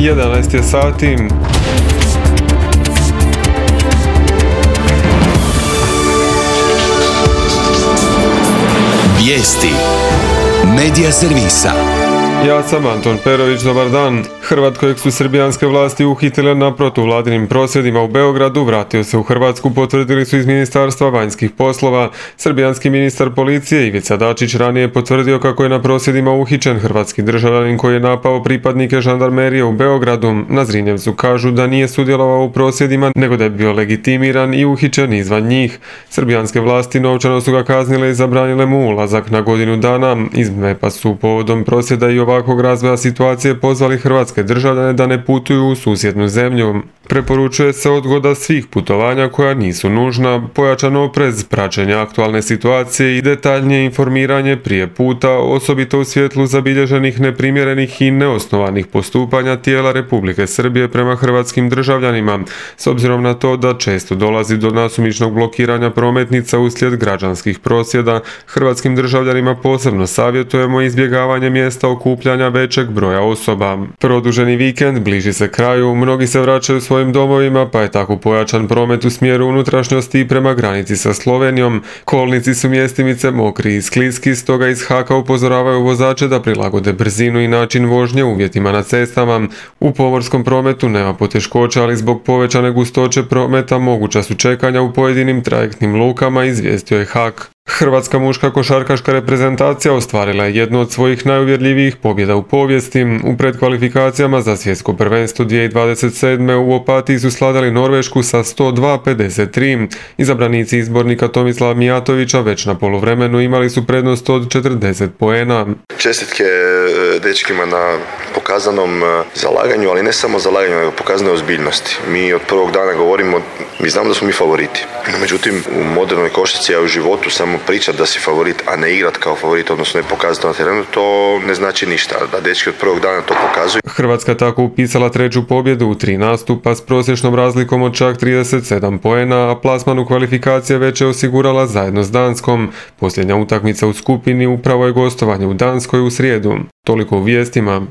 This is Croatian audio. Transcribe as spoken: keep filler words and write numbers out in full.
jedanaest je sati. Vijesti Medija servisa. Ja sam Anton Perović, dobar dan. Hrvat kojeg su srbijanske vlasti uhitile na protuvladinim prosvjedima u Beogradu vratio se u Hrvatsku, potvrdili su iz Ministarstva vanjskih poslova. Srbijanski ministar policije Ivica Dačić ranije potvrdio kako je na prosvjedima uhićen hrvatski državljanin koji je napao pripadnike žandarmerije u Beogradu. Na Zrinjevcu kažu da nije sudjelovao u prosvjedima, nego da je bio legitimiran i uhićen izvan njih. Srbijanske vlasti novčano su ga kaznile i zabranile mu ulazak na godinu dana. Iz M E P-a su povodom prosvjeda i ovakvog razvoja situacije pozvali hrvatske državljane da ne putuju u susjednu zemlju. Preporučuje se odgoda svih putovanja koja nisu nužna, pojačan oprez, praćenje aktualne situacije i detaljnije informiranje prije puta, osobito u svjetlu zabilježenih neprimjerenih i neosnovanih postupanja tijela Republike Srbije prema hrvatskim državljanima, s obzirom na to da često dolazi do nasumičnog blokiranja prometnica uslijed građanskih prosvjeda. Hrvatskim državljanima posebno savjetujemo izbjegavanje mjesta okupljanja većeg broja osoba. Produženi vikend bliži se kraju, mnogi se vraćaju svojim domovima, pa je tako pojačan promet u smjeru unutrašnjosti i prema granici sa Slovenijom. Kolnici su mjestimice mokri i skliski, stoga iz Haka upozoravaju vozače da prilagode brzinu i način vožnje uvjetima na cestama. U pomorskom prometu nema poteškoća, ali zbog povećane gustoće prometa moguća su čekanja u pojedinim trajektnim lukama, izvijestio je Hak. Hrvatska muška košarkaška reprezentacija ostvarila je jednu od svojih najuvjerljivijih pobjeda u povijesti. U predkvalifikacijama za svjetsko prvenstvo dvije tisuće dvadeset sedme u Opatiji su sladali Norvešku sa sto dva pedeset tri. Izabranici izbornika Tomislava Mijatovića već na poluvremenu imali su prednost od četrdeset poena. Čestitke dečkima na pokazanom zalaganju, ali ne samo zalaganju, nego pokazanoj ozbiljnosti. Mi od prvog dana govorimo, mi znamo da smo mi favoriti. Međutim, u modernoj košarci, a u životu samo pričat da si favorit, a ne igrat kao favorit, odnosno ne pokazati na terenu, to ne znači ništa. Da dečki od prvog dana to pokazuju. Hrvatska tako upisala treću pobjedu u tri nastupa s prosječnom razlikom od čak trideset sedam poena, a plasman u kvalifikacije već je osigurala zajedno s Danskom. Posljednja utakmica u skupini upravo je gostovanje u Danskoj u srijedu. Toliko u vijestima.